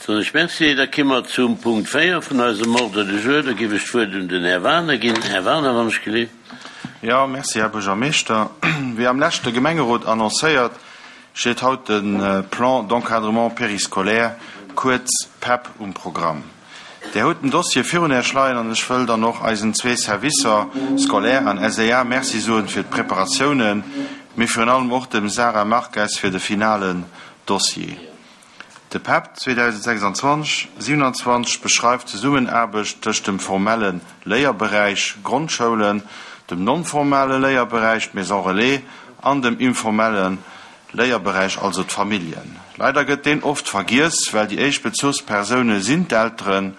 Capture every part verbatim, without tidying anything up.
Soen ech Merci. Da ki mer zum Punkt véier vun eisem Ordre du jour. Da géif ech d'Wuert un den Här Wagener ginn. Här Wagener, wann ech gelift. Jo, merci, Här Buergermeeschter. Wéi am leschte Gemengerot annoncéiert, steet haut de Plan d'encadrement périscolaire, kuerz PEP, um Programm. Där hutt den Dossier virun Iech leien an ech wëll dann och eisen zwee Servicer, Scolaire an S E A, Merci soen fir d'Preparatiounen, mee virun allem och dem Sara Marques fir de finalen Dossier. De PEP zweedausendsechsundzwanzeg siewenundzwanzeg beschreift d'Zesummenaarbecht tëscht dem formelle Léierberäich Grondschoulen, dem non-formale Léierberäich Maison Relais an dem informelle Léierberäich, also d'Familljen. Leider gëtt deen oft vergiess, well déi éischt Bezuchspersoune sinn d'Elteren.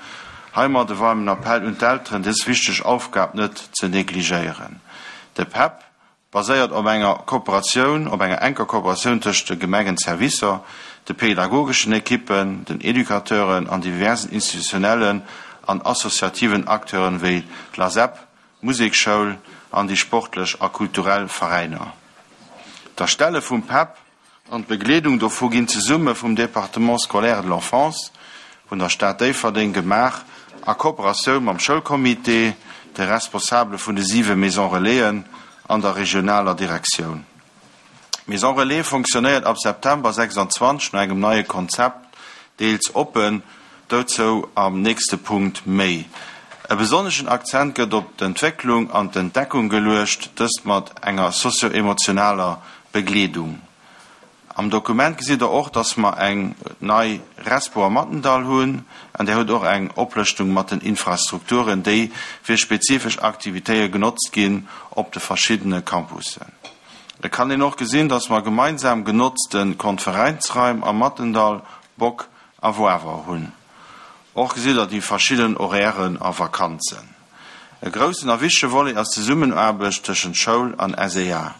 Heimat de waarmen Appell un d'Elteren, dës wichteg Aufgab net ze negligéieren. De PEP baséiert op enger Kooperatioun, op enger enker Kooperatioun tëscht de Gemengenservicer, de pädagogeschen Ekippen, den Educateuren an diversen institutionellen an associativen Acteuren wéi d'LASEP, Musekschoul an déi sportlech a kulturell Veräiner. D'Erstelle vum PEP an d'Begleedung dovu ginn zesumme vum Département scolaire de l'enfance vun der Stad Déifferdeng gemaach, a Kooperatioun mam Schoulcomité, de Responsabele vun de siwe Maison Relaisen an der regionaler Direktioun. D'Maison Relais fonctionnéiert ab September sechsundzwanzeg no engem neie Konzept, deels oppen, dozou am nächste Punkt méi. E besonneschen Akzent gëtt op d'Entwécklung an d'Entdeckung geluecht, dëst mat enger sozio-emotionaler Begleedung. Am Dokument gesitt der och, dass mer eng nei Respo am Mattendall hunn, an där hutt och eng Oplëschtung mat den Infrastrukturen, déi fir spezifesch Aktivitéite genotzt ginn op de verschiddene Campussen. Et kann een och gesinn, dass mer gemeinsam genotzte Konferenzraim am Mattendall, Bock a Woawer hunn. Och gesitt der déi verschidden Horairen a Vakanzen. E groussen a wichtege Volet ass d'Zesummenaarbecht tëschent Schoul an S E A.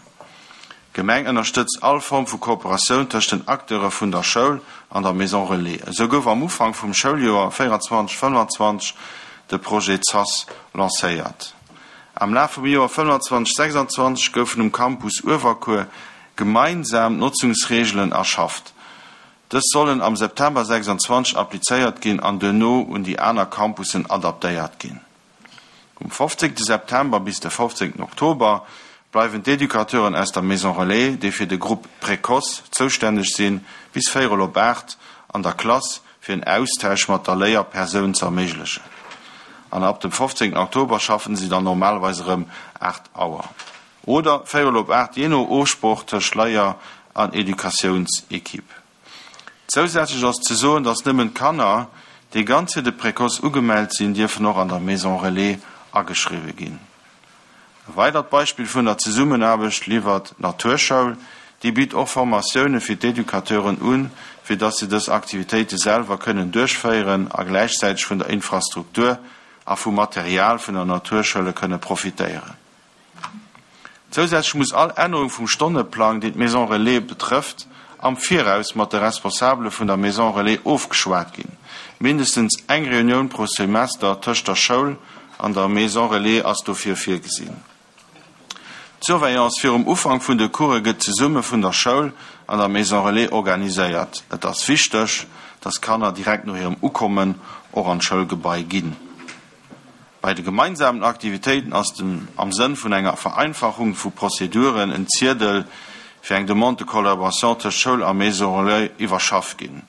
D'Gemeng ënnerstëtzt all Form vu Kooperatioun tëscht den Acteure vun der Schoul an der Maison Relais. Esou gouf am Ufank vum Schouljoer véierundzwanzeg fënnefanzwanzeg de Projet ZAS lancéiert. Am Laf vum Joer fënnefanzwanzeg sechsundzwanzeg goufen um Campus Uewerkuer gemeinsam Notzungsreegelen erschafft. Dës sollen am September sechsundzwanzeg applizéiert ginn an duerno un déi aner Campussen adaptéiert ginn. Um fofzéngte September bis de fofzéngten Oktober bleiwen d'Educateuren aus der Maison Relais, déi fir de Groupe Précoce zoustänneg sinn, bis véierel op aacht an der Klass fir en Austausch mat der Léierpersoun ze erméiglechen. An ab dem fofzéngten Oktober schaffen si dann normalerweis erëm aacht Auer. Oder véierel op aacht, jee no Ofsprooch tëscht Léier an Educatiounsekipp. Zousätzlech ass ze soen, dass nëmmen d'Kanner, déi ganz fir de Précoce ugemellt sinn, dierfen och an der Maison Relais ageschriwwe ginn. E weidert Beispill vun der Zesummenaarbecht liwwert d'Naturschoul. Déi bitt och Formatioune fir d'Educateuren un, fir dass se dës Aktivitéite selwer kënnen duerchféieren a gläichzäiteg vun der Infrastruktur a vum Material vun der Naturschoule kënne profitéieren. Zousätzlech muss all Ännerung vum Stonneplang, déi d'Maison Relais betrëfft, am Viraus mat de Responsabele vun der Maison Relais ofgeschwat ginn. Mindestens eng Reunioun pro Semester tëscht der Schoul an der Maison Relais ass dofir virgesinn. D'Surveillance virum Ufank vun de Course gëtt zesumme vun der Schoul an der Maison Relais organiséiert. Et ass wichteg, dass Kanner direkt no hirem Ukommen och an d'Schoulgebai ginn. Bei de gemeinsamen Aktivitéiten ass dem, am Sënn vun enger Vereinfachung vu Prozeduren en Ziedel fir eng Demande de collaboration tëscht Schoul a Maison Relais iwwerschafft ginn.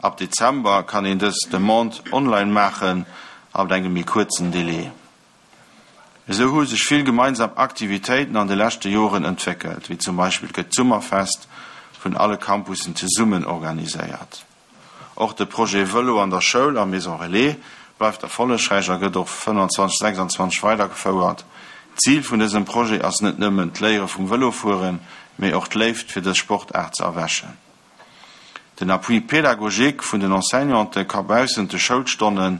Ab Dezember kann een dës Demande online maachen, ab engem méi kuerzen Delai. Esou hu sech vill gemeinsam Aktivitéiten an de leschte Joren entwéckelt, wéi zum Beispill gëtt d'Summerfest vun alle Campussen zesummen organiséiert. Och de Projet Vëlo an der Schoul a Maison Relais bleift erfollegräich a gëtt och fënnefanzwanzeg sechsundzwanzeg weidergefouert. Zil vun dësem Projet ass net nëmmen d'Léiere vum Vëlofueren, mee och d'Léift fir dës Sportaart ze erwächen. Den Appui pédagogique vun den Enseignante ka baussent de Schoulstonne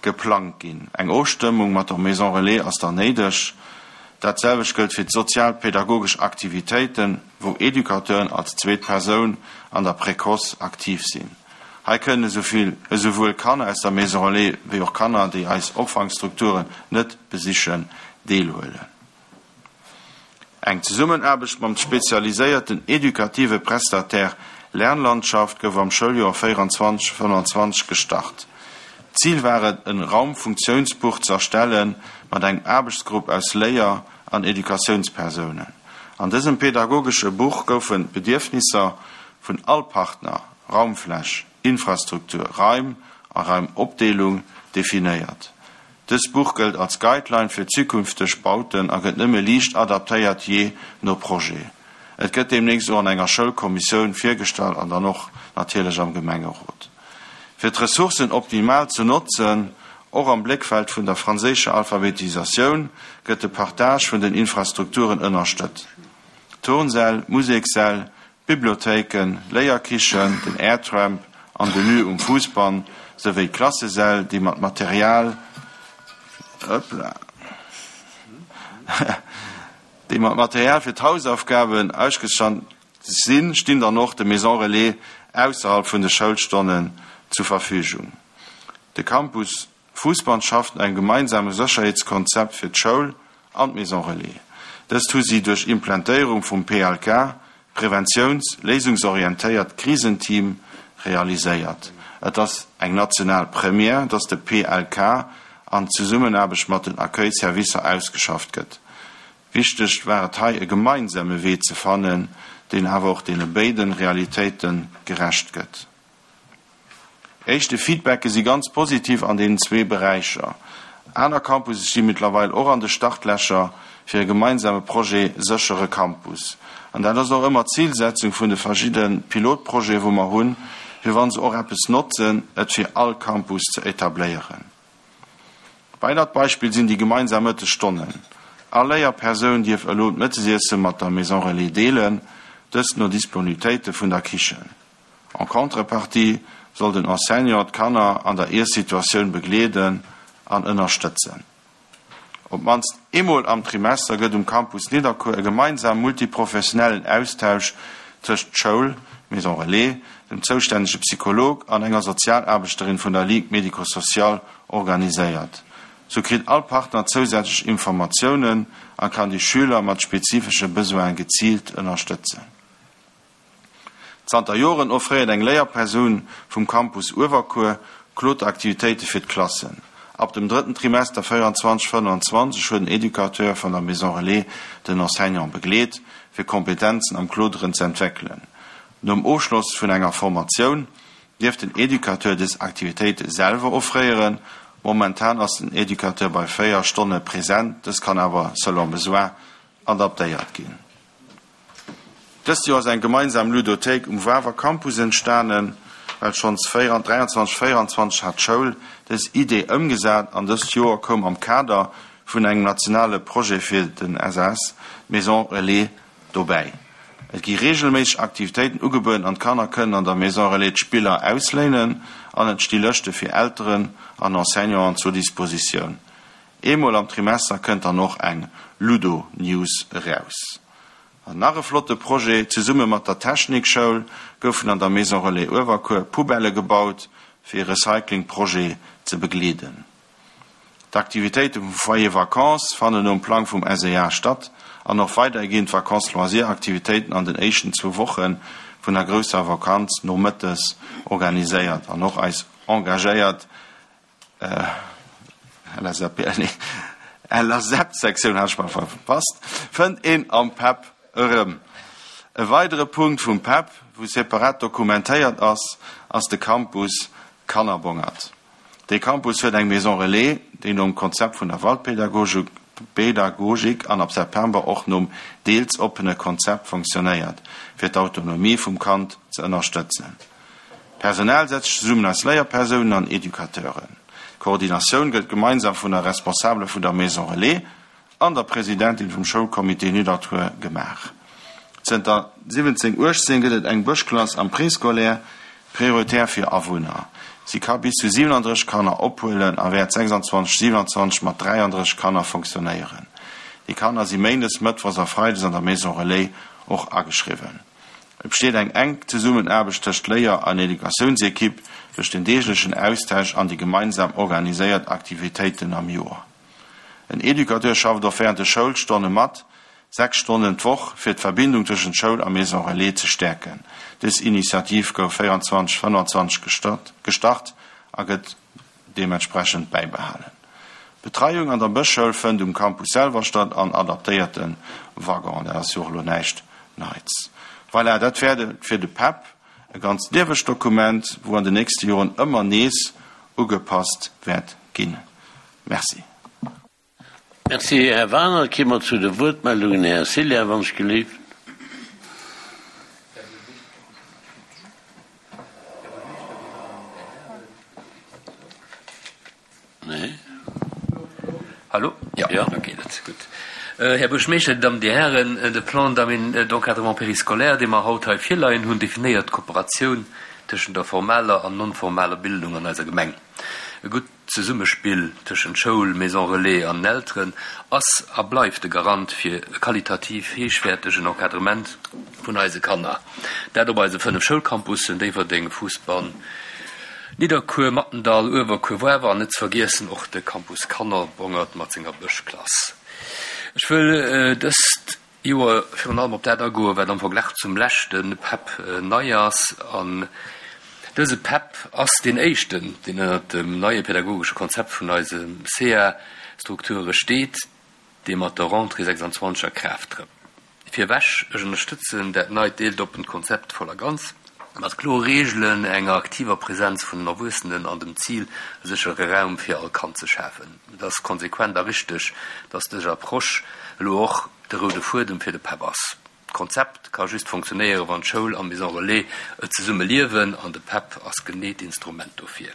geplangt ginn. Eng Ofstëmmung mat der Maison Relais ass dann néideg. Dat selwecht gëllt fir d'sozialpädagogesch Aktivitéiten, wou Educateuren als zweet Persoun an der Précoce aktiv sinn. Hei kënnen esouvill esouwuel Kanner aus der Maison Relais wéi och Kanner, déi eis Opfangstrukturen net besichen, deelhuelen. Eng Zesummenaarbecht mam spezialiséierten edukative Prestataire Lernlandschaft gouf am Schouljoer véieranzwanzeg, fënnanzwanzeg gestart. Zil war et, en Raumfunktiounsbuch ze erstellen mat engem Aarbechtsgrupp aus Léier an Educatiounspersounen. An dësem pedagogesche Buch goufen d'Bedierfnisser vun all Partner, Raumfläch, Infrastruktur, Raim a Raimopdeelung, definéiert. Dëst Buch gëllt als Guideline fir zukünfteg Bauten a gëtt nëmme liicht adaptéiert jee no Projet. Et gëtt deemnächst och an enger Schoulkommissioun virgestallt an dann och natierlech am Gemengerot. Fir d'Ressourcen optimal ze notzen, och am Bléckfeld vun der franséischer Alphabetisatioun, gëtt de Partage vun den Infrastrukturen ënnerstëtzt. Turnsäll, Musekssäll, Bibliothéiken, Léierkichen, den Airtramp an de Lieu um Fousbann, souwéi Klassesäll, déi mat Material, hoppla, déi mat Material fir d'Hausaufgaben ausgestatt sinn, stinn dann och de Maisons Relais ausserhalb vun de Schoulstonnen zur Verfügung. De Campus Fousbann schafft un engem gemeinsame Sécherheetskonzept fir d'Schoul an d'Maison Relais. Dëst hu si duerch Implantéierung vum P L K, Preventiouns-, léisungsorientéiert Krisenteam, realiséiert. Et ass eng national Première, dass de P L K an Zesummenaarbecht mat den Accueil-Servicer ausgeschafft gëtt. Wichteg war et hei, e gemeinsame Wee ze fannen, deen awer och deene béide Realitéite gerecht gëtt. Éischte Feedbacke si ganz positiv an deenen zwee Beräicher. Aner Campusse sti mëttlerweil och an de Startlächer fir e gemeinsame Projet Séchere Campus. An dat ass och ëmmer d'Zilsetzung vun de verschiddene Pilotprojete wou mer hunn, fir wann se och eppes notzen, et fir all Campus ze etabléieren. Weidert Beispill sinn déi gemeinsam Mëttesstonnen. All Léierpersoun dierf elo d'Mëttesiesse mat der Maison Relais deelen, dëst no Disponibilitéite vun der Kichen. En contrepartie soll den Enseignant d'Kanner an der Iessituatioun begleeden an ënnerstëtzen. Op d'mannst eemol am Trimester gëtt um Campus Nidderkuer e gemeinsame multiprofessionellen Austausch tëscht Schoul, Maison Relais, dem zoustännege Psycholog an enger Sozialaarbechterin vun der Ligue médico-sociale organiséiert. Sou kritt all Partner zousätzlech Informatiounen a kann déi Schüler mat spezifesche Besoine geziilt ënnerstëtzen. Zanter Joren offréiert eng Léierpersoun vum Campus Uewerkuer Kloteraktivitéite fir d'Klassen. Ab dem drëtten Trimester véieranzwanzeg fënnanzwanzeg huet den Educateur vun der Maison Relais den Enseignant begleet, fir Kompetenzen am Kloteren ze entwéckelen. Nom Ofschloss vun enger Formatioun dierf den Educateur dës Aktivitéite selwer offréieren. Momentan ass den Educateur bei véier Stonne present, dës kann awer selon besoin adaptéiert ginn. Dëst Joer ass eng gemeinsam Ludothéik um Wawer Campus entstanen, well schonns dräianzwanzeg véieranzwanzeg hat d'Schoul dës Idee ëmgesat an dëst Joer koum am Kader vun engem nationale Projet fir den S A S Maison Relais dobäi. Et gi reegelméisseg Aktivitéiten ugebueden an d'Kanner kënnen an der Maison Relais d'Spiller ausléinen an et sti Lëschte fir Elteren an Enseignanten zur Dispositioun. Eemol am Trimester kënnt dann och eng Ludo News eraus. An nach e flotte Projet, Zesumme mat der Technikschoul goufen an der Maison Relais Uewerkuer Poubellë gebaut, fir e Recyclingprojet ze begleeden. D'Aktivitéite vum Foyer Vacances fannen nom Plang vum S E A statt an och weiderhi ginn d'Vacances Loisirs Aktivitéiten an den éischten zwou Woche vun der grousser Vakanz nomëttes organiséiert an och eis engagéiert L S A P, nee, L S E P-Sektioun hat ech mol verpasst, fënnt een am PEP erëm. E weidere Punkt vum PEP, wou separat dokumentéiert ass, ass de Campus Kannerbongert. De Campus huet eng Maison Relais, déi nom Konzept vun der Waldpädagogik Pädagogik an ab September och nom deels oppene Konzept funktionéiert, fir d'Autonomie vum Kand ze ënnerstëtzen. D'Personal setzt sech zesummen aus Léierpersounen an Educateuren. D'Koordinatioun gëtt gemeinsam vun der Responsabele vun der Maison Relais an der Presidentin vum Schoulcomité Nidderkuer gemaach. Zënter siwwenzéng uechtzéng gëtt et eng Bëschklass am Préscolaire prioritär fir Awunner. Si ka bis zu siwenandrësseg Kanner ophuelen a wäert sechsanzwanzeg siewenundzwanzeg mat dräiandrësseg Kanner funktionéieren. Déi Kanner si méindes, mëttwochs a freides an der Maison Relais och ageschriwwen. Et besteet eng enk Zesummenaarbecht tëscht Léier an Educatiounsekipp duerch den deeglechen Austausch an déi gemeinsam organiséiert Aktivitéiten am Joer. En Educateur schafft och wärend de Schoulstonne mat, sechs Stonnen d'Woch, fir d'Verbindung tëschent Schoul a Maison Relais ze stäerken. Dës Initiativ gouf véieranzwanzeg, fënnefanzwanzeg gestart a gëtt deementsprechend bäibehalen. D'Betreiung an der Bëschschoul fënnt um Campus selwer statt an adaptéierte Waggonen. Dat ass jo och elo näischt Neits. Voilà, dat wär fir de PEP e ganz liewegt Dokument, wou an den nächste Joren ëmmer nees ugepasst wäert ginn. Merci. Merci, Här Wagener. Da komme mer zu de Wuertmeldungen. Här Cilla, wann ech gelift. Nee. Hallo? Ja, ja. Da geet et. Gutt. Här Buergermeeschter, Dir Dammen, Dir Hären, de Plan d'encadrement périscolaire, dee mer haut hei virleien hunn, definéiert d'Kooperatioun tëschent der formaler an non-formaler Bildung an eiser Gemeng. E gutt Zesummespill tëschent Schoul, Maison relais an Elteren ass a bleift de Garant fir e qualitativ héichwäertegen Encadrement vun eise Kanner. Dat op eise fënnef Schoulcampussen, Déifferdeng, Fousbann, Nidderkuer, Mathendahl, Uewerkuer, Woarwer an net ze vergiessen och de Campus Kannerbongert mat senger Bëschklass. Ech wëll dëst Joer virun allem op dat agoen, wat am Verglach zum leschte PEP nei ass. An dëse PEP ass deen éischten, deen ënnert dem neie pädagogesche Konzept vun eise S E A-Strukture steet, dee mat der Rentrée sechsanzwanzeg a Kraaft trëtt. Virwech, ech ënnerstëtzen dat neit deeltoppent Konzept voll a ganz, mat klore Reegelen, enger aktiver Presenz vun den Erwuessenen an dem Zil, e séchere Raum fir all Kand ze schafen. Et ass konsequent a richteg, dass dës Approche elo och de roude Fuedem fir de PEP ass. D'Konzept ka just funktionéieren, wann d'Schoul an d'Maison relais et zesumme liewen, an de PEP ass genee d'Instrument dofir.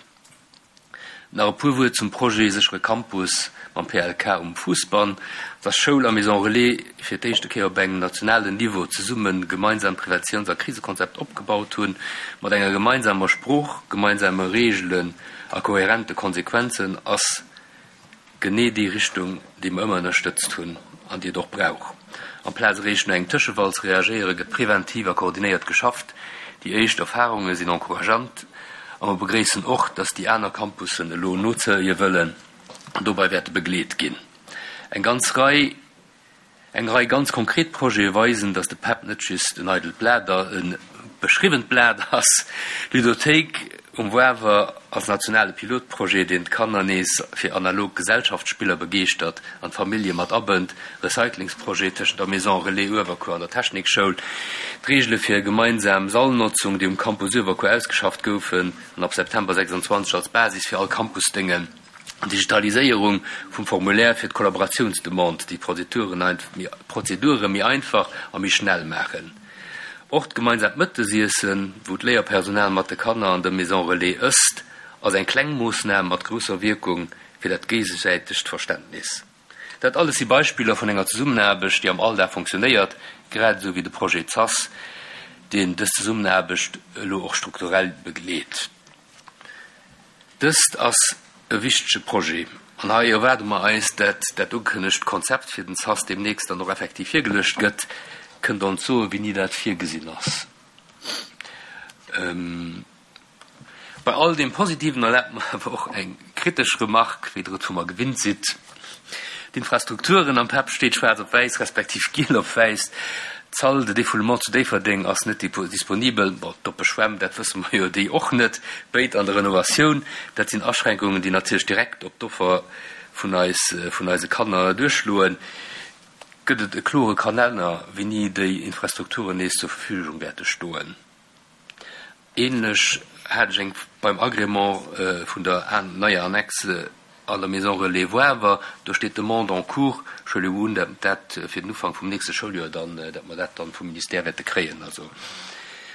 Nach e puer Wuert zum Projet Séchere Campus mam P L K um Fousbann. Dass Schoul a Maison relais fir d'éischte Kéier op engem nationalen Niveau zesumme gemeinsam Preventiouns a Krisekonzept opgebaut hunn, mat enger gemeinsamer Sprooch, gemeinsame Reegelen a kohärente Konsequenzen, ass genee déi Richtung, déi mer ëmmer ënnerstëtzt hunn an déi et och brauch. Amplaz eréischt no engem Tëschefall ze reagéieren, gëtt preventiv a koordinéiert geschafft. Déi éischt Erfarunge sinn encourageant a mer begréissen och, dass déi aner Campussen elo nozéie wëllen an dobäi wäerte begleet ginn. Eng ganz Rei eng Rei ganz konkret Projete weisen, dass de PEP net just en eidelt Blat, e beschriwwent Blat ass. D'Ludothéik um Woarwer als nationale Pilotprojet, deen d'Kanner nees fir analog Gesellschaftsspiller begeeschtert an d'Famillje mat abënnt, Recyclingsprojet tëschent der Maison Relais Uewerkuer an der Technikschoul, d'Reegele fir gemeinsam Sallnotzung, déi um Campus Uewerkuer ausgeschafft goufen an ab September sechsanzwanzeg als Basis fir all Campus déngen, Digitaliséierung vum Formulaire fir d'Kollaboratiounsdemande, déi d'Prozedure méi einfach a méi schnell maachen. Och d'gemeinsamt Mëttesiessen, wou d'Léierpersonal mat de Kanner an der Maison Relais ësst, ass eng kleng Moossnam mat grousser Wierkung fir dat géigesäitegt Verständnis. Dat alles si Beispiller vun enger Zesummenaarbecht, déi am Alldag funktionéiert, grad esou wéi de Projet ZAS, deen dës Zesummenaarbecht elo och strukturell begleet. Dëst ass e wichtege Projet an hei erwaarde mer eis, dat dat ugekënnegt Konzept fir den ZAS deemnächst dann och effektiv virgeluecht gëtt. Kënnt Der ons soen, wéini dat virgesinn ass? Bei all deem Positiven erlaabt mer awer och eng kritesch Remark, wéi Der et vu mer gewinnt sidd. D'Infrastrukturen am PEP steet schwaarz op wäiss, respektiv giel op wäiss. D'Salle de défoulement zu Déifferdeng ass net disponibel. Bon, d'oppe Schwämm, dat wësse mer jo, déi och net. Béid an der Renovatioun. Dat sinn Aschränkungen, déi natierlech direkt op d'Offer vun eis, vun eise Kanner duerchschloen. Gëtt et e klore Kalenner, wéini déi Infrastrukturen nees zur Verfügung wäerte stoen? Ähnlech hat ech eng beim Agrément vun der neier Annexe an der Maison Relais Woarwer. Do steet Demande en cours. Ech huele un, dat dat fir den Ufank vum nächste Schouljoer dann, dat mer dat dann vum Ministère wäerte kréien. Also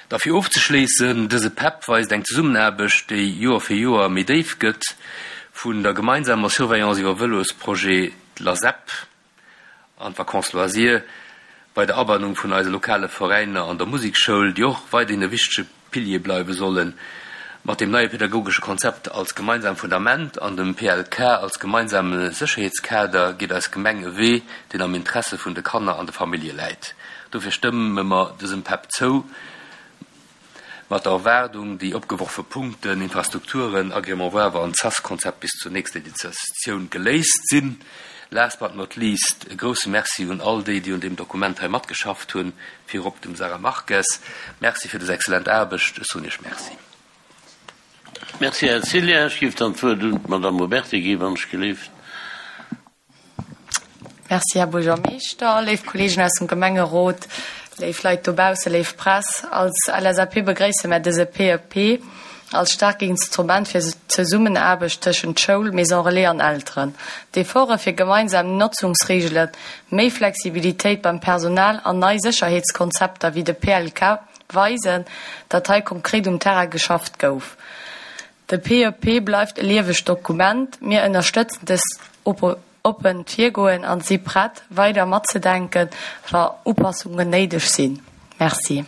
da fir ofzeschléissen, dëse PEP weist eng Zesummenaarbecht, déi Joer fir Joer méi déif gëtt, vun der gemeinsamer Surveillance iwwer Vëlosprojet LASEP an d'Vacances loisirs, bei der Abannung vun eise lokale Veräiner an der Musekschoul, déi och weiderhin e wichtege Pilier bleiwe sollen, mat dem neie pädagogesche Konzept als gemeinsam Fundament an dem P L K als gemeinsame Sécherheetskader geet eis Gemeng e Wee, deen am Interesse vun de Kanner an de Famillje läit. Dofir stëmme mer dësem PEP zou, mat der Erwaardung, déi opgeworfe Punkten, Infrastrukturen, Agrément Woarwer an ZAS-Konzept bis zur nächster Editioun geléist sinn. Last but not least, e grousse Merci un all déi, déi un deem Dokument hei matgeschafft hunn, virop dem Sara Marques. Merci fir dës exzellent Aarbecht. Ech soen Iech Merci. Merci, Här Cillien. Ech géif dann d'Wuert un d'Madame Huberty ginn, wann ech gelift. Merci, Här Buergermeeschter, léif Kolleegen aus dem Gemengerot, léif Leit dobaussen, léif Press. Als L S A P begréisse mär dëse P E P als staark Instrument fir d'Zesummenaarbecht tëschent Schoul, Maison Relais an Elteren. D'Efforte fir gemeinsam Notzungsreegelen, méi Flexibilitéit beim Personal an nei Sécherheetskonzepter wéi de P L K weisen, datt hei konkret um Terrain geschafft gouf. De P E P bleift e liewegt Dokument. Mir ënnerstëtzen dëst oppent Virgoen an si prett, weider matzedenken, wa Upassungen néideg sinn. Merci.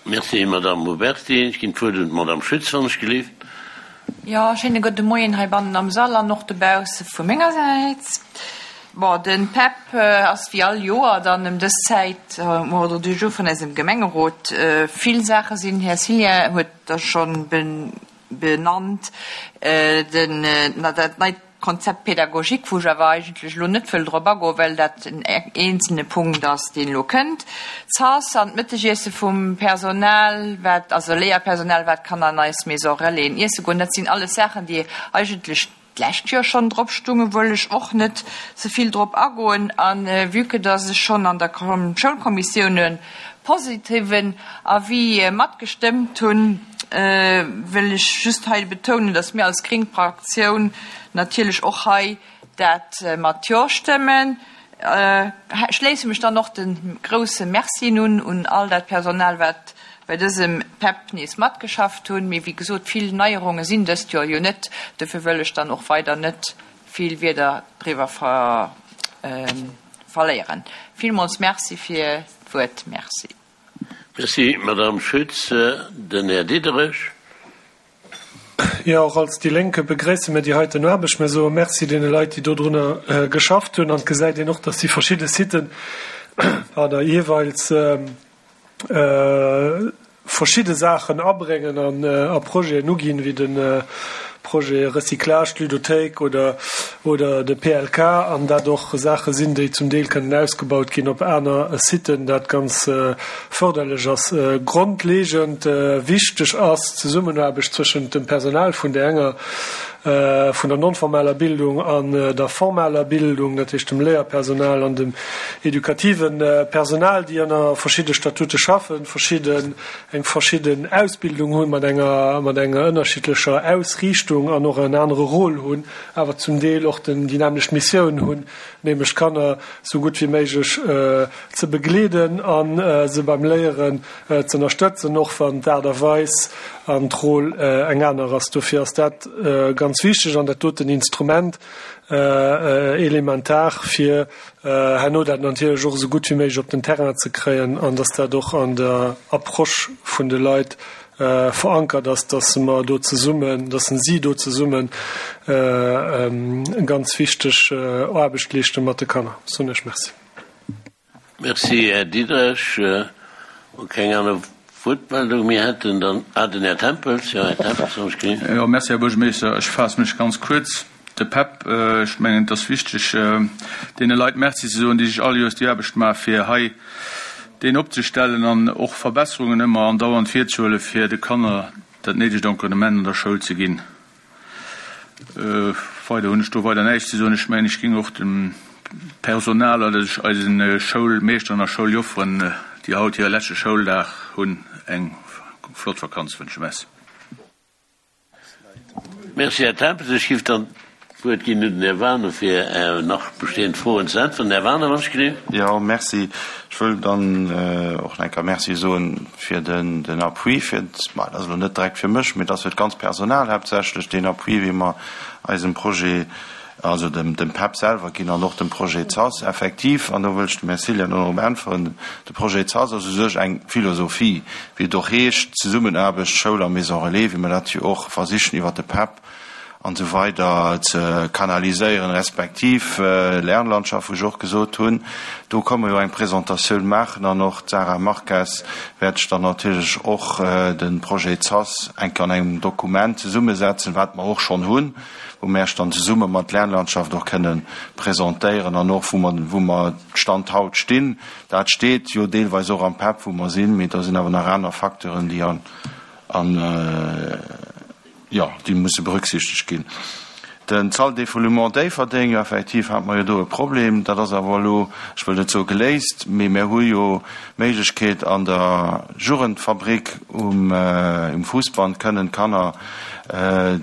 Merci, Madame Huberty. Ech ginn d'Wuert un d'Madame Schütz, wann ech gelift. Jo, schéine gudde Moien heibannen am Sall an och dobausse vu menger Säit. Bon, den P E P äh, ass wéi all Joer dann ëm dës Zäit äh, um Ordre du jour vun eisem Gemengerot. Äh, vill Saache sinn, Här Cillien huet der schonn benannt, äh, den, äh, na, dat neit Concept pédagogique, wou ech awer eigentlech lo net wëll drop agoen, well dat en eenzelne Punkt ass, deen lo kënnt. D'Zas an d'Mëttegiesse vum Personal, wat, also Léierpersonal, wat kann an eis Maison Relaisen iesse goen, dat sinn alles Saachen, déi eigentlech d'lescht Joer schonn drop stungen, wëll ech och net sou vill drop agoen. An äh, vue que dass ech schonn an der Schoulkommissioun e positiven Avis äh, matgestëmmt hunn, äh, wëll ech just hei betounen, dass mir als gréng Fraktioun natierlech och hei dat äh, mat Jo stëmmen. Äh, schléisse mech dann och de grousse Merci un un all dat Personal, wat bei dësem P E P nees matgeschafft hunn. Mee wéi gesot, vill Neierunge sinn dëst Joer jo net, dofir wëll ech dann och weider net vill Wierder driwwer ver, äh, verléieren. Villmools Merci fir d'Wuert. Merci. Merci, Madame Schütz. Den Här Diderich. Jo, och als déi Lénk begréisse mir déi heiten Aarbecht. Mir soe Merci deene Leit, déi dodrunner äh, geschafft hunn, an gesäit een och, dass déi verschidde Siten da jeeweils äh, äh, verschidde Saachen abréngen an äh, a Projeten uginn, wéi den äh, Projet Recyclage, Ludothéik oder oder de P L K, an dat och Saache sinn, déi zum Deel kënnen ausgebaut ginn op aner Siten, dat ganz äh, fërderlech ass. Äh, grondleeënd äh, wichteg ass d'Zesummenaarbecht tëschent dem Personal vun der enger äh, vun der non-formaler Bildung an äh, der formaler Bildung, dat heescht dem Léierpersonal an dem edukativen äh, Personal, déi ënner verschiddene Statute schaffen, verschidden eng verschidden Ausbildung hunn, mat enger mat enger ënnerschiddlecher Ausriichtung an och en anere Rôle hunn, awer zum Deel och den déi nämmlecht Missioun hunn, nämlech Kanner sou gutt wéi méiglech äh, ze begleeden an äh, se beim Léieren äh, ze ënnerstëtzen, och wann d'Aart a Weis an d'Roll äh, eng aner ass. Dofir ass dat äh, ganz wichteg an dat doten Instrument äh, äh, elementar fir äh, herno dat natierlech och sou gutt wéi méiglech op den Terrain ze kréien an dass dat och an der Approche vun de Leit äh, verankert ass, dass mer do zesummen, dass si do zesummen äh, ähm, ganz wichteg äh, Aarbecht leeschte mat de Kanner. Soen ech Merci. Merci, Här Diderich. Keng aner Wuertmeldung mir hätten dann ah, den Här Tempels. Jo, Här Tempels. Jo, merci, Här Buergermeeschter. Ech faasse mech ganz kuerz. De P E P, äh, ech mengen, dat ass wichteg, äh, deene Leit Merci ze soen, déi sech all Joers déi Aarbecht maache fir hei deen opzestellen an och Verbesserungen ëmmer andauernd virzehuele fir de Kanner dat néidegt Encadrement an der Schoul ze ginn. Äh, weider hunn ech do weider näischt ze soen. Ech mengen, ech géing och dem Personal oder eisen äh, Schoulmeeschteren a Schouljofferen, äh, déi haut hire leschte Schouldag hunn, eng flott Vakanz wënschen. Merci. Merci, Här Tempels. Ech géif dann d'Wuert ginn un den Här Waner fir äh, nach bestehend Froen ze äntweren. Här Waner, wann ech Jo, merci. Ech wëll dann äh, och eng Kéier Merci soen fir den, den Appui, fir, also net direkt fir mech, mee dat fir d'ganzt Personal haaptsächlech den Appui, wéi mer eisem Projet, also dem, dem P E P selwer ginn an och dem Projet ZAS effektiv, an do wëll ech dem Här Cillien och äntweren, de Projet ZAS ass u sech eng Philosophie, wéi et och heescht, Zesummenaarbecht, Schoul a Maison Relais, wéi mer dat jo och versichen iwwer de P E P an esou weider ze kanaliséieren, respektiv Lernlandschaft, wou ech och gesot hunn, do komme mer jo eng Presentatioun maachen an och d'Sarah Marques wäert sech dann natierlech och de Projet ZAS eng Kéier an engem Dokument zesummesetzen, wat mer och schonn hunn, wou mer Iech dann zesumme mat Lernlandschaft och kënne presentéieren an och wou mer, wou mer Stand haut stinn. Dat steet jo deelweis och am PEP, wou mer sinn, mee do sinn awer nach aner Facteuren, déi an, an, jo, déi musse berücksichtegt ginn. Den Salle d'éfoulement Déifferdeng, jo effektiv hate mer jo do e Problem, dat ass awer elo, ech wëll net soe geléist, mee mir hu jo d'Méiglechkeet an der Jugendfabrik um um Fuussband kënnen d'Kanner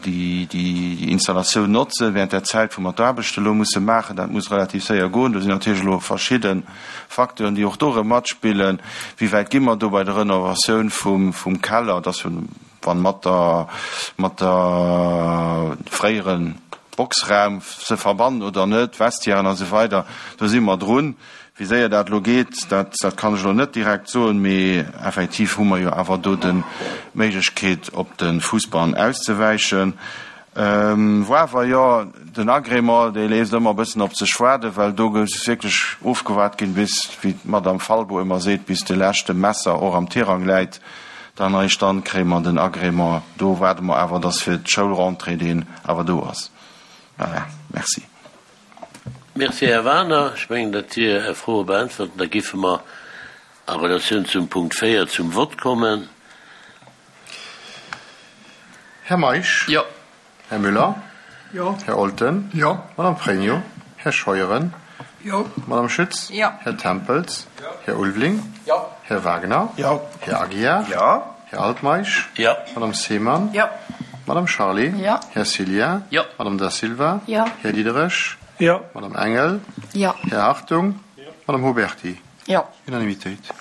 déi déi Installatioun notzen während där Zäit wou mer d'Aarbechte elo musse maachen. Dat muss relativ séier goen. Do sinn natierlech elo verschidde Facteuren, déi och do erëm matspillen. Wéi wäit gi mer do bei der Renovatioun vum vum Keller, dass wann mat der mat der fréieren Boxraum ze verbannen oder net, Vestiairen a sou weider, do si mer drun. Wéi séier dat elo geet, dat dat kann ech elo net direkt soen, mee effektiv hu mer jo awer do de Méiglechkeet op de Fussball auszewäichen. Woawer, jo, den Agrément, dee léisst ëmmer e bëssen op sech waarden, well do muss wierklech ofgewaart ginn, bis, wéi d'Madame Falbo ëmmer seet, bis de leschte Messer och am Tirang läit. Dann eréischt dann kréie mer den Agrément. Do waarde mer awer, dass fir d'Schoulrentrée deen awer do ass. Voilà, merci. Merci, Här Wagener. Ech mengen, dat Dir Är Froe beäntwert. Da giffe mer a Relatioun zum Punkt véier zum Vott kommen. Här Meisch? Jo. Här Müller? Jo. Här Olten? Jo. Madame Pregno? Här Scheuren? Jo. Madame Schütz? Jo. Här Tempels? Jo. Här Ulveling? Jo. Här Wagner? Jo. Här Aguiar? Jo. Här Altmeisch? Jo. Madame Seemann? Jo. Madame Charlé? Jo. Här Cillien? Jo. Madame Da Silva? Jo. Här Diderich? Jo. Madame Engel? Jo. Här Hartung? Jo. Madame Huberty? Jo. Unanimitéit.